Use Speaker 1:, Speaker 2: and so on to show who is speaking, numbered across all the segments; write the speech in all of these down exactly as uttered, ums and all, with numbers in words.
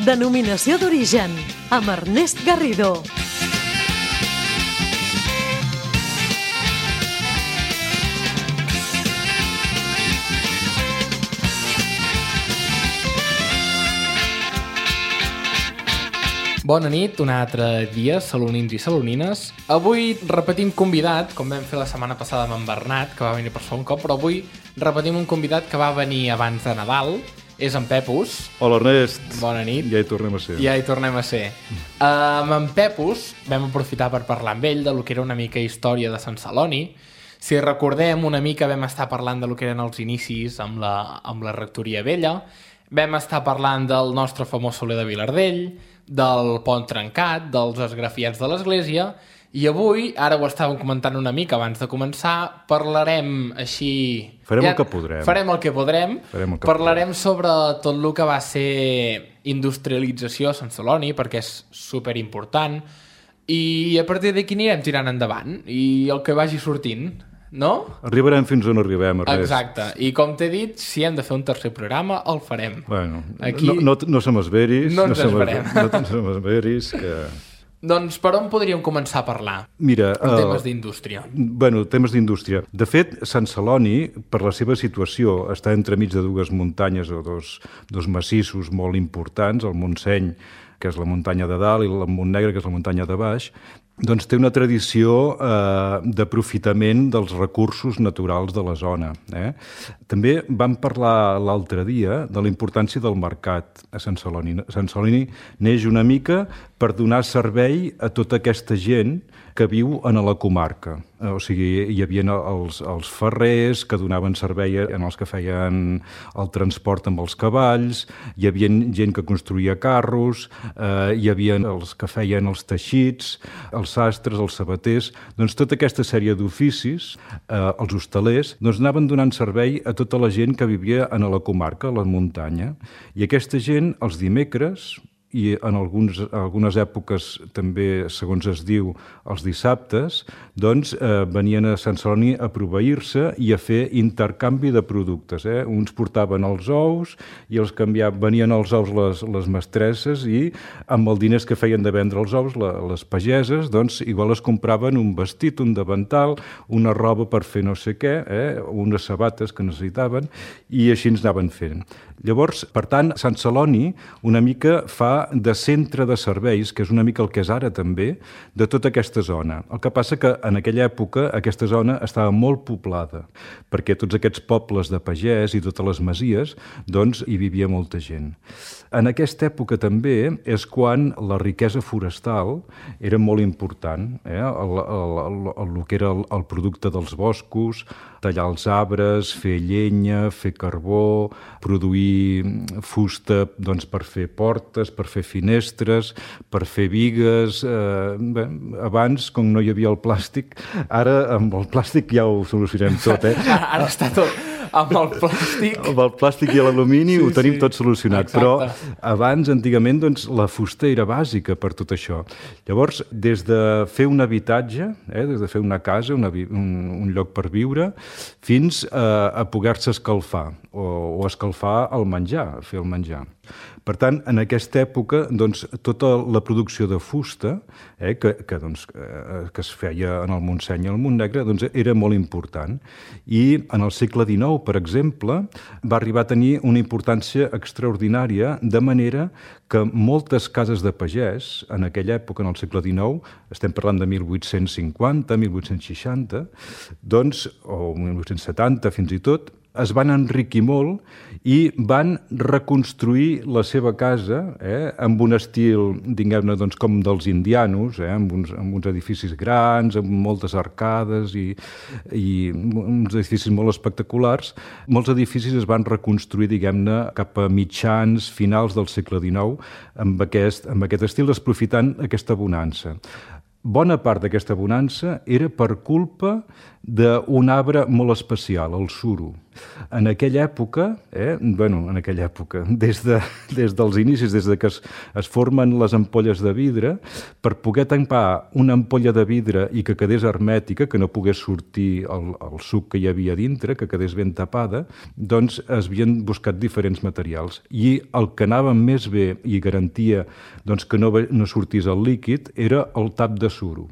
Speaker 1: Denominació d'origen, amb Ernest Garrido.
Speaker 2: Bona nit, un altre dia, salonins i salonines. Avui repetim convidat, com vam fer la setmana passada amb en Bernat, que va venir per segon cop, però avui repetim un convidat que va venir abans de Nadal. És en Pepus.
Speaker 3: Hola, Ernest.
Speaker 2: Bona nit.
Speaker 3: Ja hi tornem a ser.
Speaker 2: Ja hi tornem a ser. Uh, amb en Pepus vam aprofitar per parlar amb ell de lo que era una mica història de Sant Celoni. Si recordem, una mica vam estar parlant de lo que eren els inicis amb la, amb la rectoria vella. Vam estar parlant del nostre famós Soler de Vilardell, del pont trencat, dels esgrafiats de l'església, i avui, ara ho estàvem comentant una mica abans de començar, parlarem així...
Speaker 3: Farem ja, el que podrem.
Speaker 2: Farem el que podrem.
Speaker 3: Farem el que
Speaker 2: parlarem
Speaker 3: podrem.
Speaker 2: sobre tot el que va ser industrialització a Sant Celoni, perquè és superimportant, i a partir d'aquí anirem tirant endavant, i el que vagi sortint... No?
Speaker 3: Arribarem fins on arribem, Ernest.
Speaker 2: Exacte. I com t'he dit, si hem de fer un tercer programa, el farem.
Speaker 3: Bueno,
Speaker 2: Aquí...
Speaker 3: no, no, no som esveris.
Speaker 2: No ens no esperem.
Speaker 3: No, no som esveris, que...
Speaker 2: Doncs per on podríem començar a parlar?
Speaker 3: Mira,
Speaker 2: en temes
Speaker 3: uh,
Speaker 2: d'indústria.
Speaker 3: Bueno, temes d'indústria. De fet, Sant Celoni, per la seva situació, està entremig de dues muntanyes o dos, dos massissos molt importants, el Montseny, que és la muntanya de dalt, i el Montnegre, que és la muntanya de baix, doncs té una tradició eh, d'aprofitament dels recursos naturals de la zona. Eh? També vam parlar l'altre dia de la importància del mercat a Sant Celoni. Sant Celoni neix una mica per donar servei a tota aquesta gent que viu en la comarca. O sigui, hi havia els, els ferrers que donaven servei en els que feien el transport amb els cavalls, hi havia gent que construïa carros, eh, hi havia els que feien els teixits, els sastres, els sabaters, doncs tota aquesta sèrie d'oficis, eh, els hostalers, doncs anaven donant servei a tota la gent que vivia en la comarca, a la muntanya. I aquesta gent, els dimecres, i en alguns, algunes èpoques també, segons es diu, els dissabtes, doncs eh, venien a Sant Celoni a proveir-se i a fer intercanvi de productes. Eh? Uns portaven els ous i els canviaven, venien els ous les, les mestresses i amb els diners que feien de vendre els ous, la, les pageses, doncs igual es compraven un vestit, un davantal, una roba per fer no sé què, eh? unes sabates que necessitaven, i així ens anaven fent. Llavors, per tant, Sant Celoni una mica fa de centre de serveis, que és una mica el que és ara també, de tota aquesta zona. El que passa que en aquella època aquesta zona estava molt poblada, perquè tots aquests pobles de pagès i totes les masies, doncs hi vivia molta gent. En aquesta època també és quan la riquesa forestal era molt important, eh? el, el, el, el, el que era el, el producte dels boscos, tallar els arbres, fer llenya, fer carbó, produir fusta doncs, per fer portes, per fer finestres, per fer bigues. Eh, bé, abans, com no hi havia el plàstic, ara amb el plàstic ja ho solucionem tot. Eh?
Speaker 2: Ara està tot amb el plàstic.
Speaker 3: Amb el plàstic i l'alumini sí, ho tenim
Speaker 2: sí.
Speaker 3: tot solucionat. Exacte. Però abans, antigament, doncs, la fusta era bàsica per tot això. Llavors, des de fer un habitatge, eh, des de fer una casa, una, un, un lloc per viure, fins a, a poder-se escalfar o, o escalfar el menjar, fer el menjar. Per tant, en aquesta època, doncs, tota la producció de fusta eh, que, que, doncs, que es feia en el Montseny i el Montnegre doncs, era molt important. I en el segle dinou, per exemple, va arribar a tenir una importància extraordinària, de manera que moltes cases de pagès, en aquella època, en el segle dinou, estem parlant de mil vuit-cents cinquanta, mil vuit-cents seixanta, doncs, o mil vuit-cents setanta fins i tot, es van enriquir molt i van reconstruir la seva casa eh, amb un estil, diguem-ne, doncs, com dels indianos, eh, amb, uns, amb uns edificis grans, amb moltes arcades i, i uns edificis molt espectaculars. Molts edificis es van reconstruir, diguem-ne, cap a mitjans, finals del segle dinou, amb aquest, amb aquest estil, aprofitant aquesta bonança. Bona part d'aquesta bonança era per culpa d'un arbre molt especial, el suro. En aquella època, eh, bueno, en aquella època, des, de, des dels inicis, des de que es, es formen les ampolles de vidre, per poder tampar una ampolla de vidre i que quedés hermètica, que no pogués sortir el, el suc que hi havia dintre, que quedés ben tapada, doncs es havien buscat diferents materials. I el que anava més bé i garantia doncs, que no, no sortís el líquid era el tap de suro.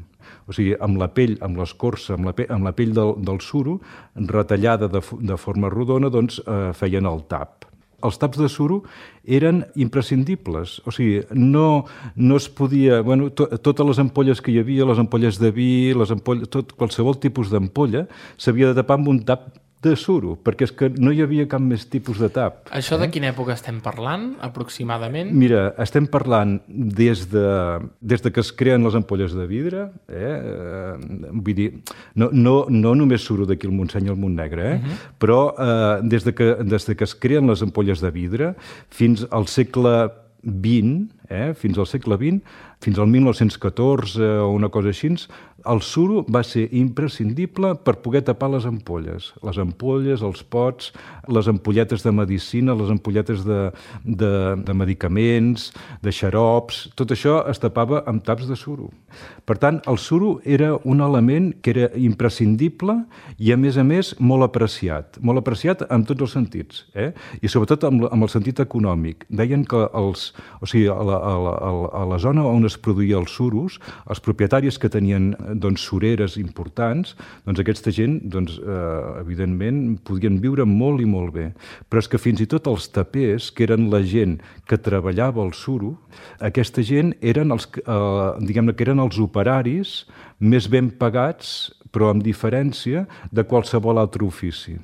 Speaker 3: O sigui, amb la pell, amb l'escorça, amb la pell, amb la pell del, del suro, retallada de, de forma rodona, doncs eh, feien el tap. Els taps de suro eren imprescindibles, o sigui, no, no es podia... Bueno, to, totes les ampolles que hi havia, les ampolles de vi, les ampolles, tot, qualsevol tipus d'ampolla, s'havia de tapar amb un tap de suro, perquè és que no hi havia cap més tipus de tap.
Speaker 2: Això
Speaker 3: eh?
Speaker 2: de quina època estem parlant, aproximadament?
Speaker 3: Mira, estem parlant des de, des de que es creen les ampolles de vidre, eh? Vull dir, no, no, no només suro d'aquí al Montseny i al Montnegre, eh? Uh-huh. Però eh, des, de que, des de que es creen les ampolles de vidre fins al segle vint, eh? fins al segle vint, fins al mil nou-cents catorze o una cosa així, el suro va ser imprescindible per poder tapar les ampolles. Les ampolles, els pots, les ampolletes de medicina, les ampolletes de, de, de medicaments, de xarops, tot això es tapava amb taps de suro. Per tant, el suro era un element que era imprescindible i, a més a més, molt apreciat. Molt apreciat en tots els sentits, eh? I sobretot amb, amb el sentit econòmic. Deien que els, o sigui, a la, a la, a la zona on es produïa els suros, els propietaris que tenien doncs, sureres importants, doncs aquesta gent, doncs, eh, evidentment, podien viure molt i molt bé. Però és que fins i tot els tapers, que eren la gent que treballava el suro, aquesta gent eren els, eh, diguem-ne que eren els operaris més ben pagats, però amb diferència de qualsevol altre ofici.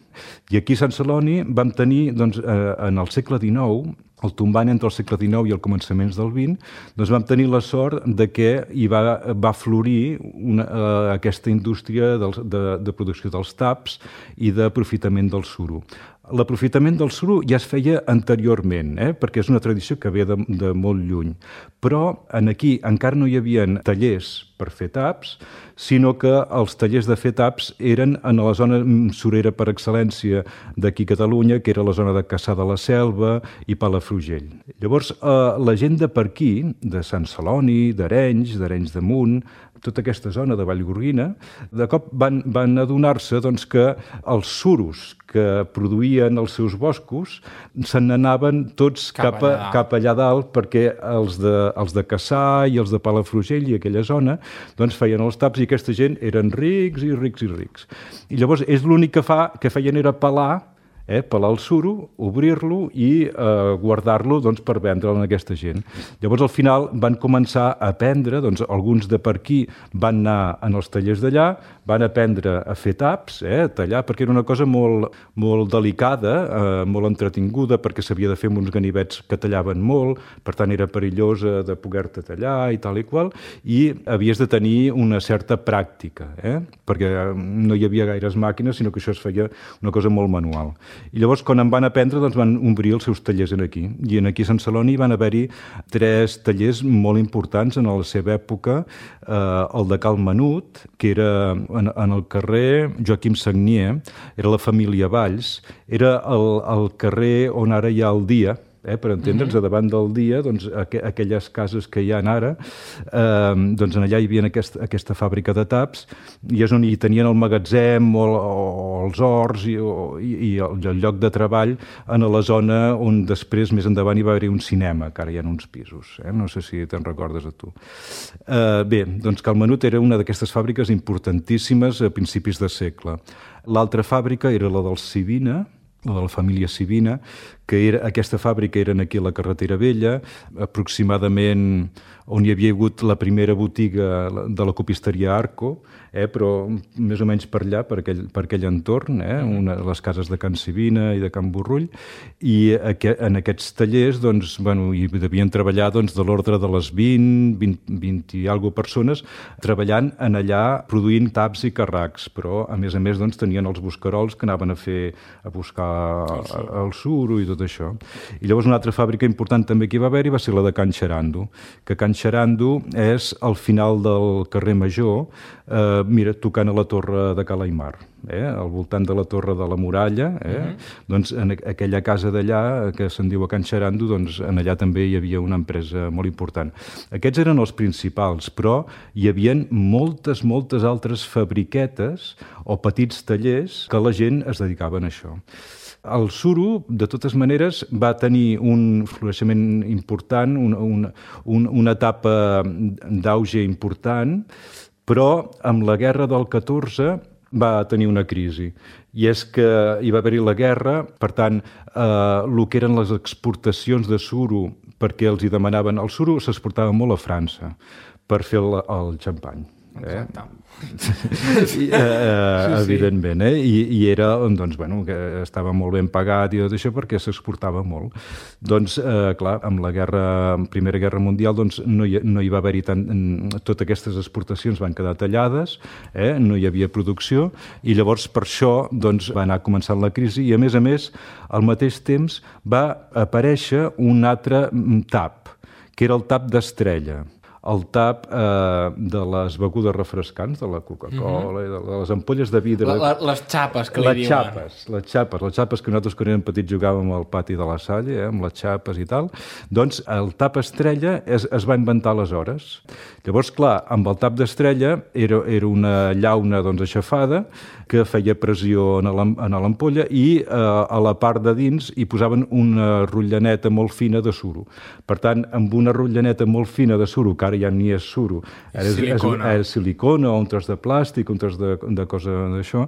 Speaker 3: I aquí a Sant Celoni vam tenir, doncs, eh, en el segle dinou, el tombant entre el segle dinou i el començaments del vint, doncs vam tenir la sort de que hi va, va florir una, eh, aquesta indústria dels, de, de producció dels taps i d'aprofitament del suro. L'aprofitament del suro ja es feia anteriorment, eh? Perquè és una tradició que ve de, de molt lluny. Però en aquí encara no hi havia tallers per fer taps, sinó que els tallers de fer taps eren en la zona surera per excel·lència d'aquí a Catalunya, que era la zona de Cassà de la Selva i Palafrugell. Llavors, eh, la gent de per aquí, de Sant Celoni, d'Arenys, d'Arenys de Munt, tota aquesta zona de Vallgorguina, de cop van, van adonar-se doncs, que els suros que produïen els seus boscos se n'anaven tots cap, cap, a, cap allà dalt, perquè els de, els de Cassà i els de Palafrugell i aquella zona doncs feien els taps i aquesta gent eren rics i rics i rics. I llavors és l'únic que, fa, que feien era pelar, eh, pelar el suro, obrir-lo i eh, guardar-lo doncs, per vendre'l a aquesta gent. Llavors, al final, van començar a aprendre, doncs, alguns de per aquí van anar en els tallers d'allà, van aprendre a fer taps, eh, a tallar, perquè era una cosa molt, molt delicada, eh, molt entretinguda, perquè s'havia de fer amb uns ganivets que tallaven molt, per tant, era perillosa de poder-te tallar i tal i qual, i havies de tenir una certa pràctica, eh, perquè no hi havia gaires màquines, sinó que això es feia una cosa molt manual. I llavors, quan en van aprendre, doncs van obrir els seus tallers en aquí. I en aquí a Sant Celoni van haver-hi tres tallers molt importants en la seva època. Eh, el de Cal Menut, que era en, en el carrer Joaquim Sagnier, era la família Valls, era el, el carrer on ara hi ha el Dia, Eh, per entendre'ns, mm-hmm. a davant del Dia, doncs, aqu aquelles cases que hi ha ara, eh, doncs allà hi havia aquesta, aquesta fàbrica de taps, i és on hi tenien el magatzem o, o els horts i, o, i, i el, el lloc de treball en la zona on després, més endavant, hi va haver un cinema, que ara hi ha uns pisos. Eh? No sé si te'n recordes a tu. Eh, bé, doncs Cal Menut era una d'aquestes fàbriques importantíssimes a principis de segle. L'altra fàbrica era la dels Sivina, la de la família Sivina, que era, aquesta fàbrica era aquí a la Carretera Vella, aproximadament on hi havia hagut la primera botiga de la copisteria Arco, eh, però més o menys per allà, per aquell, per aquell entorn, eh, una, les cases de Can Sivina i de Can Borrull, i aqu en aquests tallers doncs, bueno, hi devien treballar doncs, de l'ordre de les vint, vint, vint i alguna persones, treballant en allà, produint taps i carracs, però a més a més doncs, tenien els buscarols que anaven a fer a buscar el, el suro i tot tot això. I llavors una altra fàbrica important també que hi va haver-hi va ser la de Can Xarando, que Can Xarando és al final del carrer Major, eh, mira, tocant a la torre de Ca l'Aimar, eh, al voltant de la torre de la Muralla, eh, uh-huh. doncs en aquella casa d'allà, que se'n diu a Can Xarando, doncs en allà també hi havia una empresa molt important. Aquests eren els principals, però hi havia moltes, moltes altres fabriquetes o petits tallers que la gent es dedicaven a això. El suro, de totes maneres, va tenir un floreixement important, una, una, una etapa d'auge important, però amb la guerra del catorze va tenir una crisi. I és que hi va haver-hi la guerra, per tant, eh, el que eren les exportacions de suro, perquè els hi demanaven... El suro s'exportava molt a França per fer el, el xampany.
Speaker 2: Exacte.
Speaker 3: Eh? I, eh, sí, evidentment, eh? I, i era, doncs, bueno, que estava molt ben pagat i tot això perquè s'exportava molt. Doncs, eh, clar, amb la guerra, Primera Guerra Mundial, doncs, no hi, no hi va haver-hi tant... Totes aquestes exportacions van quedar tallades, eh? No hi havia producció, i llavors per això doncs, va anar començant la crisi, i a més a més, al mateix temps va aparèixer un altre tap, que era el tap d'Estrella. El tap eh, de les begudes refrescants, de la Coca-Cola, mm-hmm. de les ampolles de vidre...
Speaker 2: La, la, les xapes, que li
Speaker 3: les
Speaker 2: diuen.
Speaker 3: Xapes, les xapes, les xapes que nosaltres quan érem petits jugàvem al pati de la Salle, eh, amb les xapes i tal. Doncs el tap Estrella es, es va inventar aleshores. Llavors, clar, amb el tap d'Estrella era, era una llauna doncs, aixafada que feia pressió en l'ampolla i eh, a la part de dins hi posaven una rotllaneta molt fina de suro. Per tant, amb una rotllaneta molt fina de suro, que ara ja ni és suro, ara és,
Speaker 2: silicona.
Speaker 3: és, és silicona o un tros de plàstic, un tros de, de cosa d'això,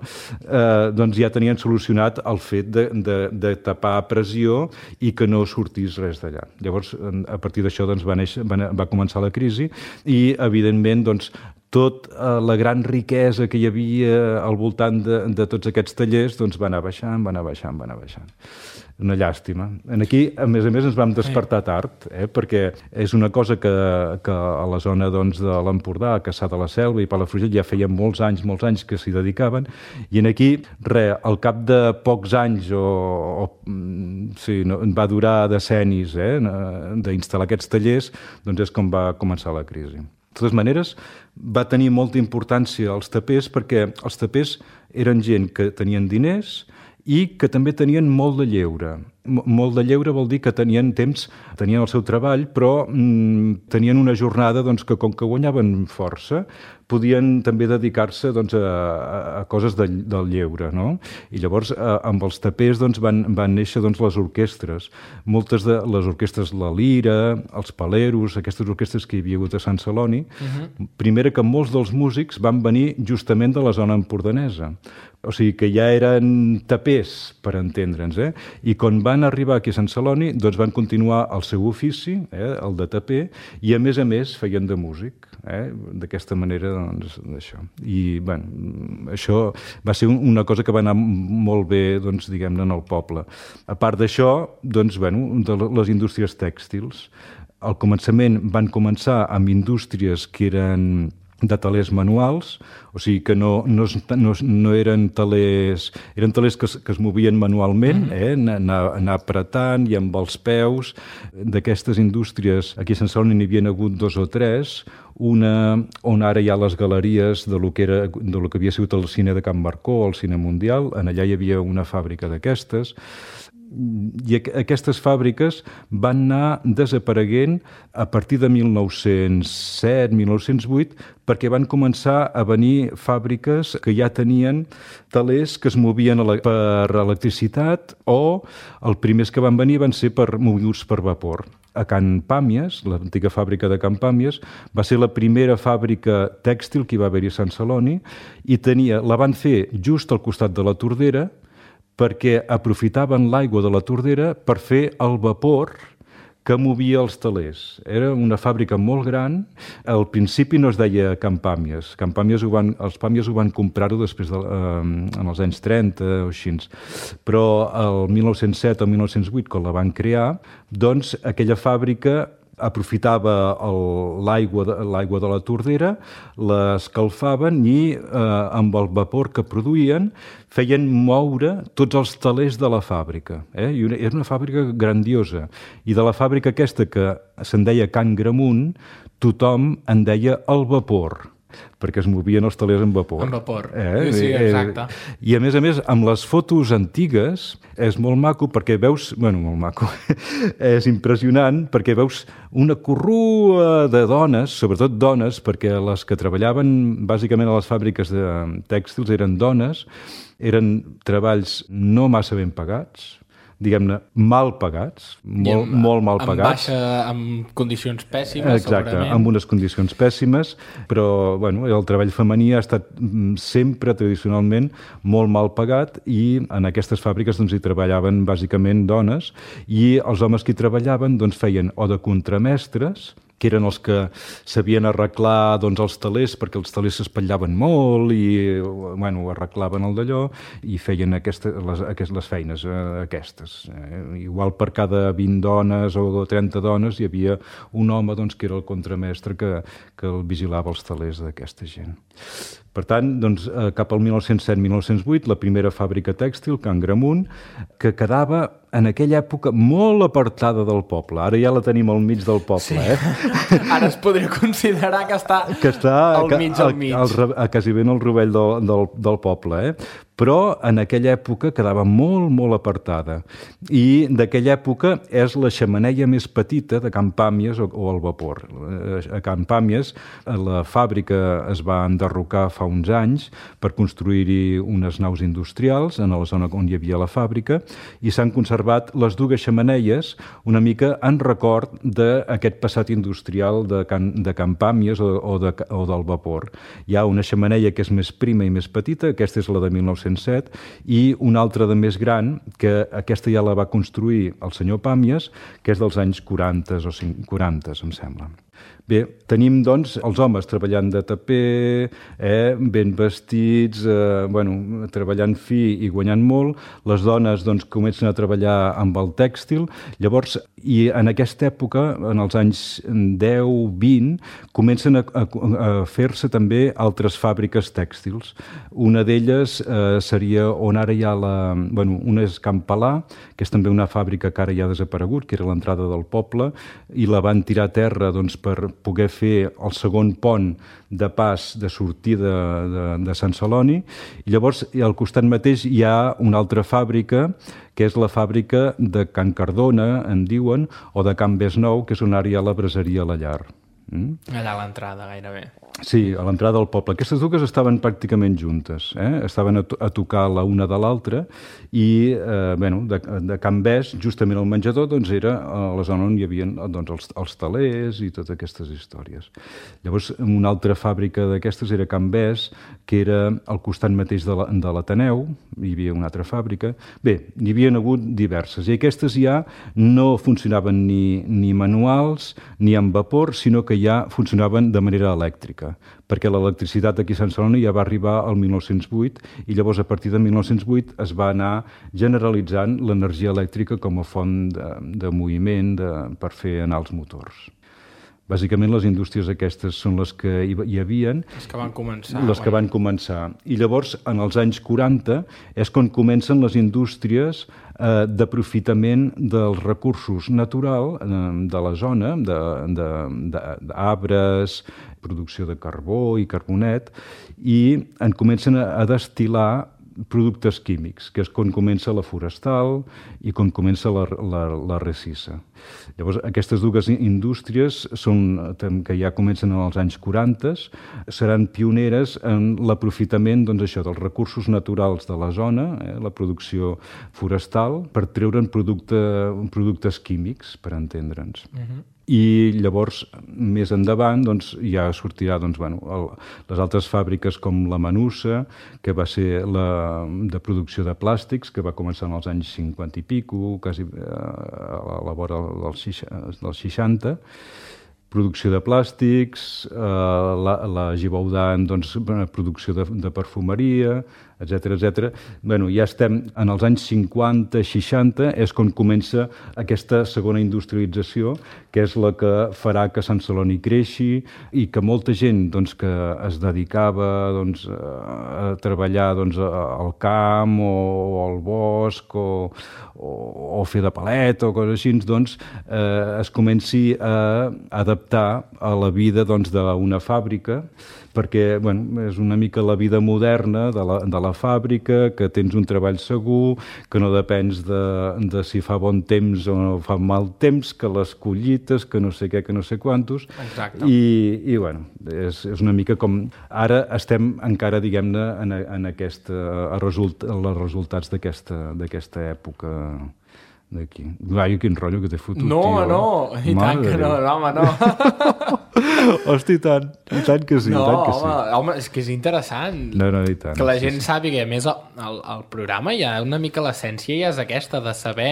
Speaker 3: eh, doncs ja tenien solucionat el fet de, de, de tapar pressió i que no sortís res d'allà. Llavors, a partir d'això doncs, va, néixer, va, va començar la crisi i, evidentment, doncs, tota la gran riquesa que hi havia al voltant de, de tots aquests tallers doncs va anar baixant, va anar baixant, va anar baixant. Una llàstima. Aquí, a més a més, ens vam despertar tard, eh? Perquè és una cosa que, que a la zona doncs, de l'Empordà, a Cassà de la Selva i Palafrugell ja feien molts anys, molts anys que s'hi dedicaven, i en aquí, res, al cap de pocs anys, o, o sí, no, va durar decennis eh? d'instal·lar aquests tallers, doncs és com va començar la crisi. De totes maneres, va tenir molta importància els tapers perquè els tapers eren gent que tenien diners i que també tenien molt de lleure. Molt de lleure vol dir que tenien temps, tenien el seu treball, però mm, tenien una jornada doncs, que com que guanyaven força, podien també dedicar-se doncs, a, a coses de, del lleure. No? I llavors, a, amb els tapers doncs, van, van néixer doncs, les orquestres. Moltes de les orquestres, la Lira, els Paleros, aquestes orquestres que hi havia hagut a Sant Celoni, uh-huh. Primera que molts dels músics van venir justament de la zona empordanesa. O sigui que ja eren tapers, per entendre'ns, eh? I quan van arribar aquí a Sant Celoni, doncs van continuar el seu ofici, eh? El de taper, i a més a més feien de músic, eh? D'aquesta manera, doncs, d'això. I, bueno, això va ser una cosa que va anar molt bé, doncs, diguem-ne, en el poble. A part d'això, doncs, bueno, de les indústries tèxtils. Al començament van començar amb indústries que eren de talers manuals, o sigui que no, no, no, no eren talers, eren talers que es, que es movien manualment, eh? anar, anar apretant i amb els peus. D'aquestes indústries, aquí a Sant Celoni n'hi havia hagut dos o tres, una on ara hi ha les galeries de lo que, era, de lo que havia sigut el cine de Can Marcó, el cine mundial, en allà hi havia una fàbrica d'aquestes, i aquestes fàbriques van anar desapareguent a partir de mil nou-cents set, mil nou-cents vuit, perquè van començar a venir fàbriques que ja tenien talers que es movien per electricitat o els primers que van venir van ser per moguts per vapor. A Can Pàmies, l'antiga fàbrica de Can Pàmies, va ser la primera fàbrica tèxtil que hi va haver-hi a Sant Celoni i tenia, la van fer just al costat de la Tordera perquè aprofitaven l'aigua de la Tordera per fer el vapor que movia els talers. Era una fàbrica molt gran. Al principi no es deia Can Pàmies. Can Pàmies ho van, els Pàmies ho van comprar-ho després de, eh, en els anys trenta o així. Però el mil nou-cents set o mil nou-cents vuit, quan la van crear, doncs aquella fàbrica aprofitava el- l'aigua de, l'aigua de la tordera, l'escalfaven i eh, amb el vapor que produïen feien moure tots els telers de la fàbrica. Eh? I una, era una fàbrica grandiosa. I de la fàbrica aquesta, que se'n deia Can Gramunt, tothom en deia el vapor, perquè es movien els telers en vapor.
Speaker 2: En vapor.
Speaker 3: Eh?
Speaker 2: Sí, sí, exacte.
Speaker 3: I a més a més, amb les fotos antigues, és molt maco perquè veus... Bueno, molt maco. És impressionant perquè veus una corrua de dones, sobretot dones, perquè les que treballaven bàsicament a les fàbriques de tèxtils eren dones, eren treballs no massa ben pagats, diguem-ne, mal pagats, molt,
Speaker 2: amb,
Speaker 3: molt mal
Speaker 2: amb
Speaker 3: pagats.
Speaker 2: Baixa, amb condicions pèssimes,
Speaker 3: Exacte,
Speaker 2: segurament.
Speaker 3: amb unes condicions pèssimes, però bueno, el treball femení ha estat sempre, tradicionalment, molt mal pagat i en aquestes fàbriques doncs, hi treballaven bàsicament dones i els homes que hi treballaven doncs, feien o de contramestres, que eren els que sabien arreglar doncs, els telers, perquè els telers s'espatllaven molt i bueno, arreglaven el d'allò i feien aquesta, les, aquestes, les feines eh, aquestes. Eh, igual per cada vint dones o trenta dones hi havia un home doncs, que era el contramestre que, que el vigilava els telers d'aquesta gent. Per tant, doncs, eh, cap al mil nou-cents set mil nou-cents vuit, la primera fàbrica tèxtil, Can Gramunt, que quedava en aquella època molt apartada del poble. Ara ja la tenim al mig del poble, sí. eh?
Speaker 2: Ara es podria considerar que està,
Speaker 3: que està
Speaker 2: al mig, al mig.
Speaker 3: Al, al, a quasi ben al rovell del, del, del poble, eh? Però en aquella època quedava molt, molt apartada. I d'aquella època és la xemeneia més petita de Can Pàmies o, o el vapor. A Can Pàmies la fàbrica es va enderrocar fa uns anys per construir-hi unes naus industrials en la zona on hi havia la fàbrica i s'han conservat les dues xemeneies una mica en record d'aquest passat industrial de Can, de Can Pàmies o, o, de, o del vapor. Hi ha una xemeneia que és més prima i més petita, aquesta és la de mil nou-cents set, i una altra de més gran, que aquesta ja la va construir el senyor Pàmies, que és dels anys quaranta o quaranta, em sembla. Bé, tenim, doncs, els homes treballant de taper, eh, ben vestits, eh, bueno, treballant fi i guanyant molt. Les dones, doncs, comencen a treballar amb el tèxtil. Llavors, i en aquesta època, en els anys deu vint, comencen a, a, a fer-se també altres fàbriques tèxtils. Una d'elles eh, seria on ara hi ha la... Bueno, una és Can Palà, que és també una fàbrica que ara ja ha desaparegut, que era l'entrada del poble, i la van tirar a terra, doncs, per poder fer el segon pont de pas de sortida de, de Sant Celoni. I llavors, al costat mateix, hi ha una altra fàbrica, que és la fàbrica de Can Cardona, en diuen, o de Can Besnou, que és on ara hi ha la braseria a la llar. Mm?
Speaker 2: Allà a l'entrada, gairebé.
Speaker 3: Sí, a l'entrada del poble. Aquestes dues estaven pràcticament juntes, eh? Estaven a, to a tocar la una de l'altra i, eh, bueno, de, de Can Bes, justament al menjador, doncs era a la zona on hi havia doncs, els, els talers i totes aquestes històries. Llavors, una altra fàbrica d'aquestes era Can Bes, que era al costat mateix de l'Ateneu, hi havia una altra fàbrica. Bé, n'hi havia hagut diverses, i aquestes ja no funcionaven ni, ni manuals ni amb vapor, sinó que ja funcionaven de manera elèctrica, perquè l'electricitat aquí a Sant Celoni ja va arribar al mil nou-cents vuit i llavors a partir de mil nou-cents vuit es va anar generalitzant l'energia elèctrica com a font de, de moviment de, per fer anar els motors. Bàsicament, les indústries aquestes són les que hi, hi havien.
Speaker 2: Les que van començar.
Speaker 3: Les que van començar. I llavors, en els anys quaranta, és quan comencen les indústries eh, d'aprofitament dels recursos naturals eh, de la zona, d'arbres, producció de carbó i carbonet, i en comencen a, a destil·lar productes químics, que és quan comença la forestal i quan comença la, la, la recissa. Llavors, aquestes dues indústries són, que ja comencen en els anys quaranta, seran pioneres en l'aprofitament doncs, això, dels recursos naturals de la zona, eh, la producció forestal, per treure'n producte, productes químics, per entendre'ns. Uh-huh. I llavors, més endavant, doncs, ja sortirà doncs, bueno, el, les altres fàbriques com la Manussa, que va ser la de producció de plàstics, que va començar en els anys cinquanta i pico, quasi eh, a la vora dels, dels seixanta, producció de plàstics, eh, la, la Givaudan, doncs, producció de, de perfumeria, etcètera, etcètera. Bueno, ja estem en els anys cinquanta, seixanta, és quan comença aquesta segona industrialització, que és la que farà que Sant Celoni creixi i que molta gent doncs, que es dedicava doncs, a treballar doncs, al camp o, o al bosc o, o, o fer de palet o coses així, doncs, eh, es comenci a adaptar a la vida doncs, d'una fàbrica, perquè bueno, és una mica la vida moderna de la, de la fàbrica, que tens un treball segur, que no depens de, de si fa bon temps o no fa mal temps, que les collites, que no sé què, que no sé quantos.
Speaker 2: Exacte.
Speaker 3: I, i bueno, és, és una mica com... Ara estem encara, diguem-ne, en, en aquest, a result, els resultats d'aquesta època d'aquí. Ai, quin rotllo que t'he fotut,
Speaker 2: no,
Speaker 3: tio.
Speaker 2: No, no, i tant que no, no, home, no.
Speaker 3: Hosti, i tant, i tant que sí,
Speaker 2: no,
Speaker 3: i tant que
Speaker 2: home,
Speaker 3: sí.
Speaker 2: home, és que és interessant.
Speaker 3: No, no, i tant.
Speaker 2: Que la
Speaker 3: sí,
Speaker 2: gent
Speaker 3: sí.
Speaker 2: sàpiga, a més, el, el programa ja una mica l'essència ja és aquesta, de saber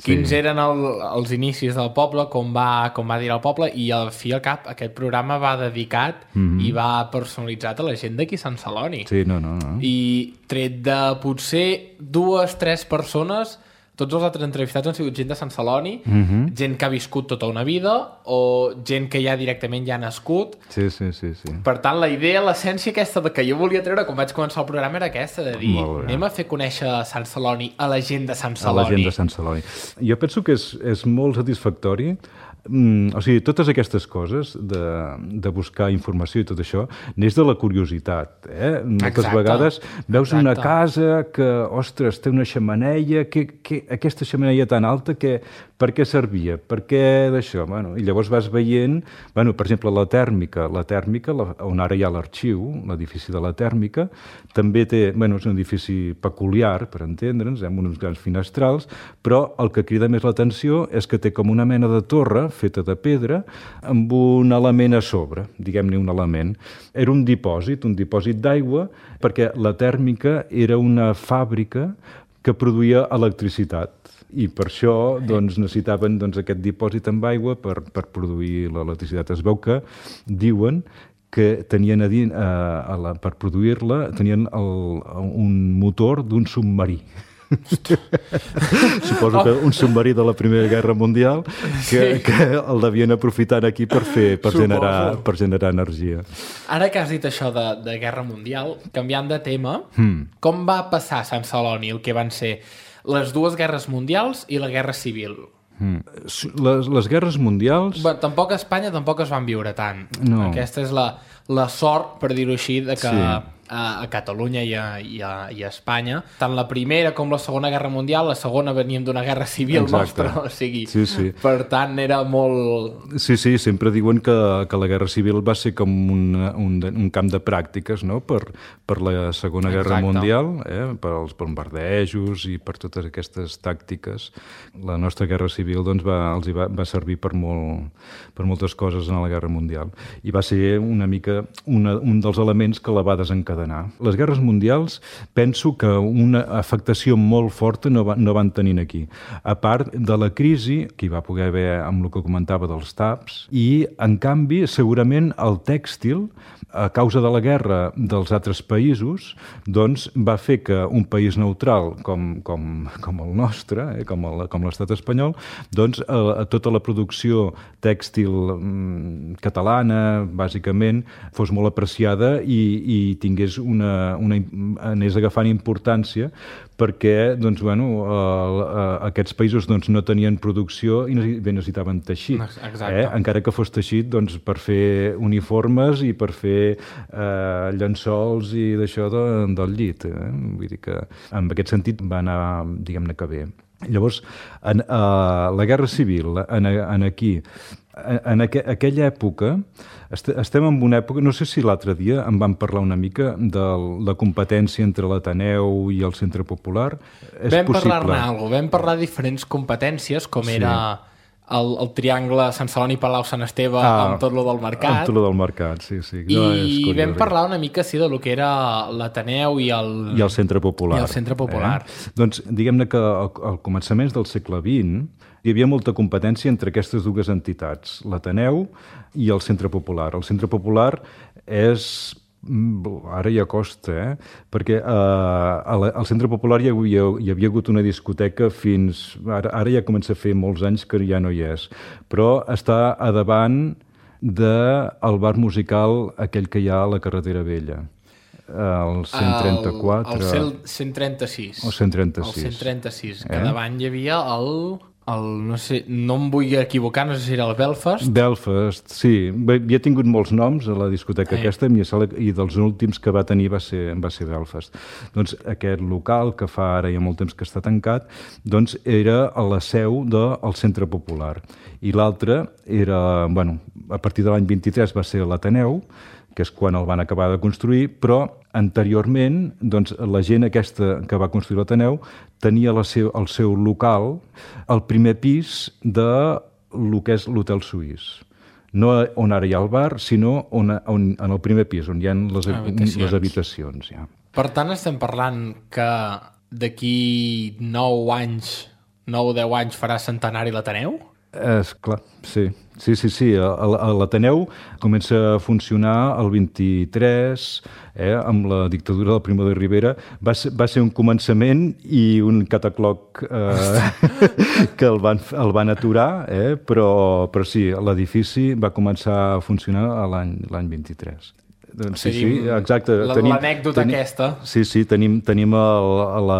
Speaker 2: quins
Speaker 3: Sí.
Speaker 2: eren el, els inicis del poble, com va, com va dir el poble, i al fi i al cap aquest programa va dedicat
Speaker 3: Mhm.
Speaker 2: i va personalitzat a la gent d'aquí Sant Celoni.
Speaker 3: Sí, no, no, no.
Speaker 2: I tret de potser dues, tres persones, tots els altres entrevistats han sigut gent de Sant Celoni,
Speaker 3: Mhm.
Speaker 2: gent que ha viscut tota una vida o gent que ja directament ja ha nascut.
Speaker 3: Sí, sí, sí, sí.
Speaker 2: Per tant, la idea, l'essència aquesta de que jo volia treure quan vaig començar el programa era aquesta, de dir,
Speaker 3: Molt bé.
Speaker 2: anem a fer conèixer Sant Celoni a la gent de Sant
Speaker 3: A la
Speaker 2: Celoni.
Speaker 3: gent de Sant Celoni. Jo penso que és, és molt satisfactori. Mm, o sigui, totes aquestes coses de, de buscar informació i tot això neix de la curiositat. Eh? Moltes
Speaker 2: Exacte.
Speaker 3: vegades veus
Speaker 2: Exacte.
Speaker 3: una casa que, ostres, té una xemeneia, que, que, aquesta xemeneia tan alta, que, per què servia? Per què d'això? Bueno, i llavors vas veient, bueno, per exemple, la tèrmica, la tèrmica, la, on ara hi ha l'arxiu, l'edifici de la tèrmica, també té, bueno, és un edifici peculiar, per entendre'ns, amb uns grans finestrals, però el que crida més l'atenció és que té com una mena de torre feta de pedra amb un element a sobre, diguem-ne un element. Era un dipòsit, un dipòsit d'aigua, perquè la tèrmica era una fàbrica que produïa electricitat i per això doncs, necessitaven doncs, aquest dipòsit amb aigua per, per produir l'electricitat. Es veu que diuen que tenien a dir, a, a la, per produir-la, tenien el, un motor d'un submarí. Suposo que un submarí de la Primera Guerra Mundial que,
Speaker 2: Sí.
Speaker 3: que el devien aprofitar aquí per fer per
Speaker 2: Suposo.
Speaker 3: generar, per generar energia.
Speaker 2: Ara que has dit això de, de Guerra Mundial, canviant de tema,
Speaker 3: Hmm.
Speaker 2: com va passar a Sant Celoni el que van ser les dues guerres mundials i la Guerra Civil?
Speaker 3: Hmm. Les, les guerres mundials...
Speaker 2: Bé, tampoc a Espanya tampoc es van viure tant.
Speaker 3: No.
Speaker 2: Aquesta és la, la sort, per dir-ho així, de que
Speaker 3: Sí.
Speaker 2: a, a Catalunya i a, i, a, i a Espanya, tant la Primera com la Segona Guerra Mundial, la segona veníem d'una guerra civil
Speaker 3: Exacte.
Speaker 2: nostra, o sigui,
Speaker 3: Sí, sí.
Speaker 2: per tant era molt...
Speaker 3: Sí, sí, sempre diuen que, que la Guerra Civil va ser com un, un, un camp de pràctiques, no?, per, per la Segona Guerra
Speaker 2: Exacte.
Speaker 3: Mundial, eh? Per als bombardejos i per totes aquestes tàctiques. La nostra Guerra Civil doncs, va, els hi va, va servir per, molt, per moltes coses en la Guerra Mundial. I va ser una mica una, un dels elements que la va desencadenar. Les guerres mundials penso que una afectació molt forta no, va, no van tenir aquí. A part de la crisi que hi va poder haver amb el que comentava dels taps, i en canvi segurament el tèxtil, a causa de la guerra dels altres països, doncs va fer que un país neutral com, com, com el nostre, eh, com el, com l'estat espanyol, doncs a, a tota la producció tèxtil mm, catalana, bàsicament, fos molt apreciada i, i tingués una, una, anés agafant importància perquè doncs, bueno, eh, eh, aquests països doncs, no tenien producció i necessitaven teixit.
Speaker 2: Exacte.
Speaker 3: Eh? Encara que fos teixit doncs, per fer uniformes i per fer eh, llençols i d'això de, del llit. Eh? Vull dir que en aquest sentit va anar, diguem-ne que bé. Llavors, en uh, la Guerra Civil, en, en aquí, en, en aqu aquella època, est estem en una època, no sé si l'altre dia em van parlar una mica de la competència entre l'Ateneu i el Centre Popular. És
Speaker 2: vam
Speaker 3: possible.
Speaker 2: parlar-ne alguna cosa, vam parlar de diferents competències, com
Speaker 3: Sí.
Speaker 2: era el, el triangle Sant Celoni, Palau, Sant Esteve,
Speaker 3: Ah,
Speaker 2: amb tot lo del mercat.
Speaker 3: Amb tot lo del mercat, sí, sí.
Speaker 2: I
Speaker 3: No, és curiós,
Speaker 2: vam
Speaker 3: eh?
Speaker 2: parlar una mica sí, de lo que era l'Ateneu i el...
Speaker 3: I el Centre Popular.
Speaker 2: I el Centre Popular.
Speaker 3: Eh? Doncs diguem-ne que al, al començaments del segle vint hi havia molta competència entre aquestes dues entitats, l'Ateneu i el Centre Popular. El Centre Popular és Ara ja costa, eh? Perquè eh, al Centre Popular hi havia, hi havia hagut una discoteca fins... Ara, ara ja comença a fer molts anys que ja no hi és, però està a davant del bar musical aquell que hi ha a la Carretera Vella. El cent trenta-quatre...
Speaker 2: El, el cent trenta-sis.
Speaker 3: El cent trenta-sis.
Speaker 2: El cent trenta-sis, que eh? davant hi havia el... El, no sé, no em vull equivocar, no sé si era el Belfast.
Speaker 3: Belfast, sí. Havia tingut molts noms a la discoteca Ai. aquesta i dels últims que va tenir va ser, va ser Belfast. Doncs aquest local, que fa ara ja molt temps que està tancat, doncs era a la seu del Centre Popular. I l'altre era, bueno, a partir de l'any vint-i-tres va ser l'Ateneu, que és quan el van acabar de construir, però anteriorment doncs, la gent aquesta que va construir l'Ateneu tenia la seu, el seu local al primer pis de lo que és l'Hotel Suís. No on ara hi ha el bar, sinó on, on, en el primer pis, on hi ha les habitacions. Les habitacions ja.
Speaker 2: Per tant, estem parlant que d'aquí nou anys, nou o deu anys farà centenari l'Ateneu?
Speaker 3: És clar, sí. Sí, sí, sí. L'Ateneu comença a funcionar el vint-i-tres, eh, amb la dictadura del Primo de Rivera. Va ser, va ser un començament i un catacloc eh, que el van, el van aturar, eh, però, però sí, l'edifici va començar a funcionar l'any l'any vint-i-tres. Doncs sí, sí, exacte.
Speaker 2: L'anècdota aquesta.
Speaker 3: Sí, sí, tenim, tenim el, la,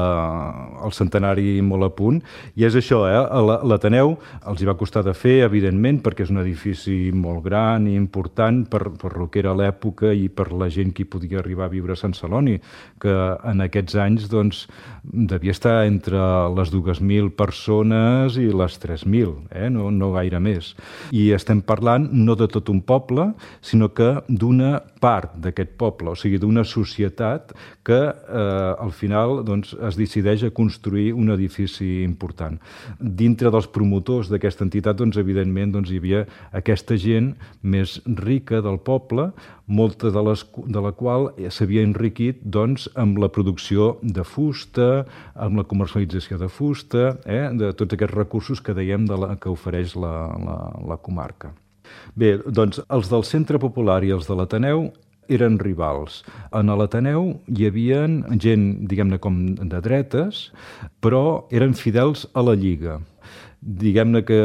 Speaker 3: el centenari molt a punt. I és això, eh? L'Ateneu els hi va costar de fer, evidentment, perquè és un edifici molt gran i important per, per el que era l'època i per la gent que hi podia arribar a viure a Sant Celoni, que en aquests anys doncs, devia estar entre les dues mil persones i les tres mil, eh? no, no gaire més. I estem parlant no de tot un poble, sinó que d'una part d'aquest poble, o sigui, d'una societat que eh, al final doncs, es decideix a construir un edifici important. Dintre dels promotors d'aquesta entitat, doncs, evidentment, doncs, hi havia aquesta gent més rica del poble, molta de, les, de la qual s'havia enriquit doncs, amb la producció de fusta, amb la comercialització de fusta, eh, de tots aquests recursos que dèiem de la, que ofereix la, la, la comarca. Bé, doncs els del Centre Popular i els de l'Ateneu eren rivals. En l'Ateneu hi havia gent, diguem-ne, com de dretes, però eren fidels a la Lliga. Diguem-ne que